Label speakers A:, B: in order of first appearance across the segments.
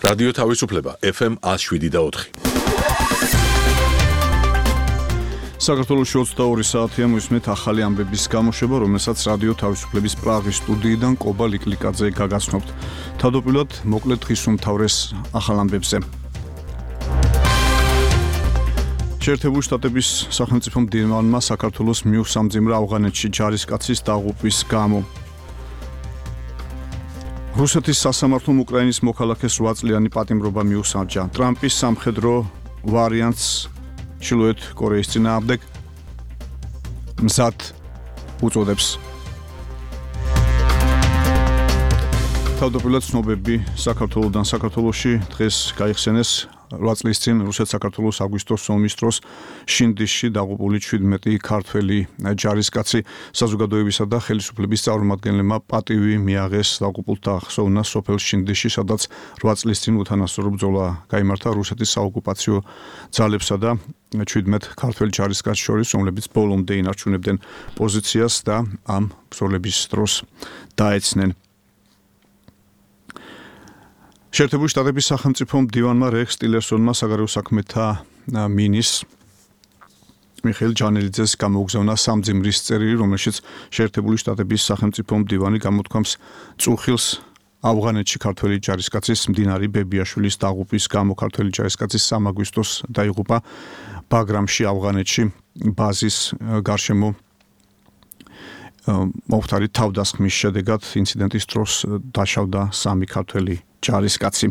A: რადიო თავისუფლება FM 107.4.
B: საქართველოს 22 საათია მისმენთ ახალი ამბების გამოშვება, რომელსაც რადიო თავისუფლების პრაღის სტუდიიდან კობა ლიკლიკაძე გაგაცნობთ. თავდაპირველად მოკლედ დღის უმთავრეს ახალ ამბებზე. შეერთებული შტატების სახელმწიფო მდივანმა საქართველოს მიუსამძიმრა ავღანეთში ჯარისკაცის დაღუპვის გამო. რუსეთის სასამართლომ უკრაინის მოქალაქეს 8 წლიანი პატიმრობა მიუსამჯა. ტრამპის სამხედრო ვარიანტს ჩრდილოეთ კორეის წინააღმდეგ მზად უწოდებს. თავდაპირველად ცნობები საქართველოსთან საქართველოში დღეს გაიხსენეს 8 წლის წინ რუსეთ-საქართველოს აგვისტოს ომის დროს შინდისში დაღუპული 17 ქართველი ჯარისკაცი საზოგადოებისა და ხელისუფლების წარმომადგენლებმა პატივი მიაღეს დაღუპულთა ხსოვნას სოფელ შინდისში, სადაც 8 წლის წინ უთანასწორო ბრძოლა გაიმართა რუსეთის საოკუპაციო ძალებსა და 17 ქართველ ჯარისკაცს შორის, რომლებიც ბოლომდე ინარჩუნებდნენ პოზიციას და ამ ბრძოლების დროს დაეცნენ. შეერთებული შტატების სახელმწიფო მდივანმა რექს ტილერსონმა საგარეო საქმეთა მინისტრს მიხეილ ჯანელიძეს გამოუგზავნა სამძიმრის წერილი, რომელშიც შეერთებული შტატების სახელმწიფო მდივანი გამოთქვამს წუხილს ავღანეთში ქართველი ჯარისკაცის მდინარი ბებიაშვილის დაღუპვის გამო. ქართველი ჯარისკაცის 3 აგვისტოს დაიღუპა ბაგრამში, ავღანეთში ბაზის გარშემო მომხდარი თავდასხმის შედეგად ინციდენტის დროს დაშავდა 3 ქართველი ჯარისკაცი.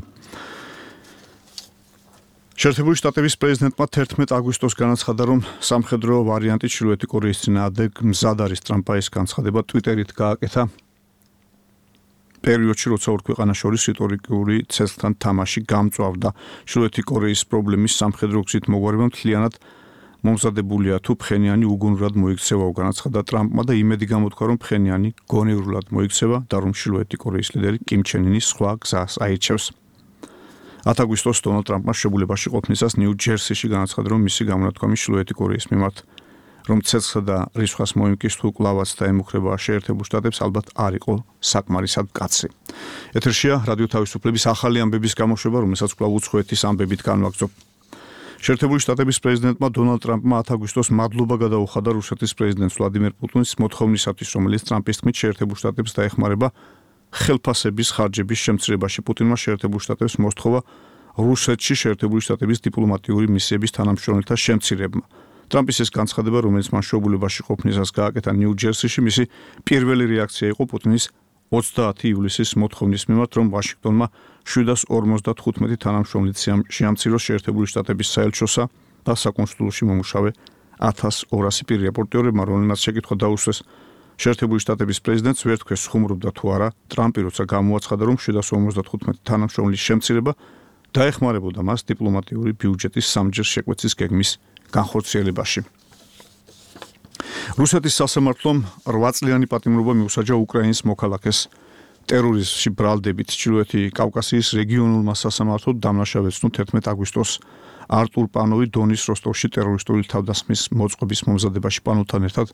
B: შეერთებული შტატების პრეზიდენტმა 11 აგვისტოს განაცხადა, რომ სამხედრო ვარიანტი ჩრდილოეთი კორეის წინააღმდეგ მზად არის. ტრამპმა ეს განცხადება ტვიტერით გააკეთა პერიოდში, როცა ორ ქვეყანას შორის რიტორიკული ცეცხლთან თამაში გამწვავდა. ჩრდილოეთი კორეის პრობლემის სამხედრო გზით მოგვარება მთლიანად მომზადებულია, თუ ფხენიანი უგუნურად მოიქცევა, განაცხადა ტრამპმა და იმედი გამოთქვა, რომ ფხენიანი გონივრულად მოიქცევა და რომ ჩრდილოეთი კორეის ლიდერი კიმ ჩენ ინი სხვა გზას აირჩევს. 10 აგვისტოს დონალდ ტრამპმა შებულებაში ყოფნისას ნიუ-ჯერსიში განაცხადა, რომ მისი გამონათქვამი ჩრდილოეთი კორეის მიმართ, რომ ცეცხლსა და რისხვას მოიმკის თუ კლავაც დაემუქრება შეერთებულ შტატებს, ალბათ არ იყო საკმარისად მკაცრი. ეთერშია რადიო თავისუფლების ახალი ამბების გამოშვება, რომელსაც კვლავ უცხოეთის ამბებით განვაგრძობ. შეერთებული შტატების პრეზიდენტმა დონალდ ტრამპმა 10 აგვისტოს მადლობა გადაუხადა რუსეთის პრეზიდენტს ვლადიმერ პუტინის მოთხოვნისათვის, რომელიც ტრამპის თქმით შეერთებულ შტატებს დაეხმარება ხელფასების ხარჯების შემცირებაში. პუტინმა შეერთებულ შტატებს მოსთხოვა რუსეთში შეერთებული შტატების დიპლომატიური მისიების თანამშრომელთა შემცირება. ტრამპის ეს განცხადება, რომელიც მან შოულებაში ყოფნისას გააკეთა ნიუ-ჯერსიში, მისი პირველი რეაქცია იყო პუტინის 30 ივლისის მოთხოვნის მიმართ, რომ ვაშინგტონმა 755 თანამშრომლით შეამციროს შეერთებული შტატების საელჩოსა და საკონსულოში მომუშავე 1200 პირი. რეპორტერებმა, რომელმაც შეკითხვა დაუსვეს შეერთებული შტატების პრეზიდენტს, ვერ თქვეს ხუმრობდა თუ არა ტრამპი, როცა გამოაცხადა, რომ 755 თანამშრომლის შემცირება დაეხმარებოდა მას დიპლომატიური ბიუჯეტის სამჯერ შეკვეცის გეგმის განხორციელებაში. რუსეთის სასამართლომ 8 წლიანი პატიმრობა მიუსაჯა უკრაინის მოქალაქეს ტერორიზმში ბრალდებით. ჩრდილოეთი კავკასიის რეგიონულმა სასამართლომ დამნაშავეცნო 11 აგვისტოს არტურ პანოვი დონის როსტოვში ტერორისტული თავდასხმის მოწყობის მომზადებაში პანოვთან ერთად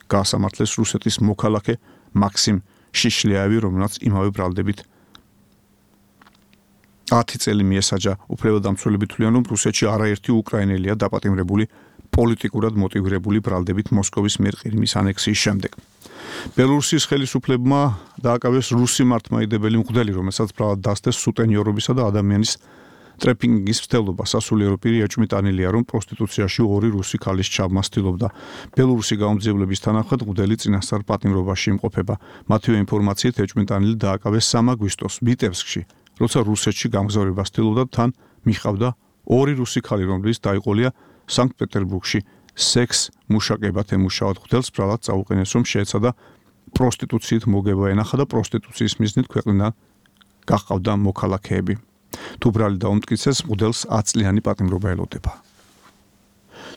B: გაასამართლეს რუსეთის მოქალაქე მაქსიმ შიშლიაევი, რომელსაც იმავე ბრალდებით 10 წელი მიესაჯა. უფლებადამცველები თვლიან, რომ რუსეთში არაერთი უკრაინელია დაპატიმრებული პოლიტიკურად მოტივირებული ბრალდებით მოსკოვის მიერ ყირიმის ანექსიის შემდეგ. ბელორუსის ხელისუფლებმა დააკავეს რუსი მართლმადიდებელი მღვდელი, რომელსაც ბრალად დასდეს სუტენიორობისა და ადამიანის ტრეფიკინგის მცდელობა. სასულიერო პირი ეჭვმიტანილია, რომ პროსტიტუციაში 2 რუსი ქალის ჩაბმას ცდილობდა. ბელორუსი გამომძიებლების თანახმად მღვდელი წინასწარ პატიმრობაში იმყოფება. მათივე ინფორმაციით ეჭვმიტანილი დააკავეს 3 აგვისტოს ვიტებსკში, როცა რუსეთში გამგზავრებას ცდილობდა, თან მიჰყავდა 2 რუსი ქალი, რომლებიც დაიყოლია სანქტ-პეტერბურგში სექს მუშაკებად ემუშავათ. მღვდელს ბრალად წაუყენეს, რომ შეეცადა პროსტიტუციით მოგება ენახა და პროსტიტუციის მიზნით ქვეყნიდან გაჰყავდა მოქალაქეები. თუ ბრალი დაუმტკიცეს, მღვდელს 10 წლიანი პატიმრობა ელოდება.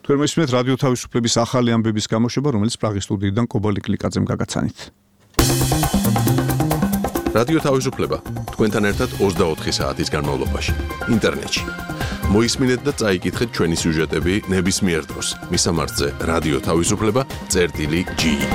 B: თქვენ მისმენთ რადიო თავისუფლების ახალი ამბების გამოშვება, რომელიც პრაღის სტუდიიდან კობა ლიკლიკაძემ გაგაცანით.
A: რადიო თავისუფლება თქვენთან ერთად 24 საათის განმავლობაში ინტერნეტში. მოისმინეთ და წაიკითხეთ ჩვენი სიუჟეტები ნებისმიერ დროს. მისამართზე რადიო თავისუფლება წერტილი G.